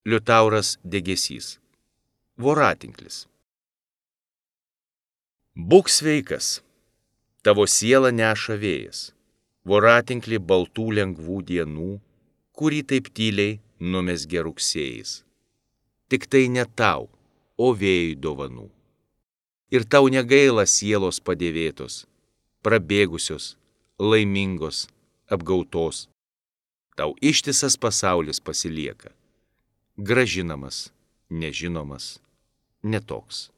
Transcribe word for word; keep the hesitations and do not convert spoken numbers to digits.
Liutauras Degėsys. Voratinklis. Būk sveikas, tavo siela neša vėjas, voratinklį baltų lengvų dienų, kurį taip tyliai numezgė rugsėjais. Tik tai ne tau, o vėjui dovanų. Ir tau negaila sielos padėvėtos, prabėgusios, laimingos, apgautos. Tau ištisas pasaulis pasilieka, gražinamas, nežinomas, netoks.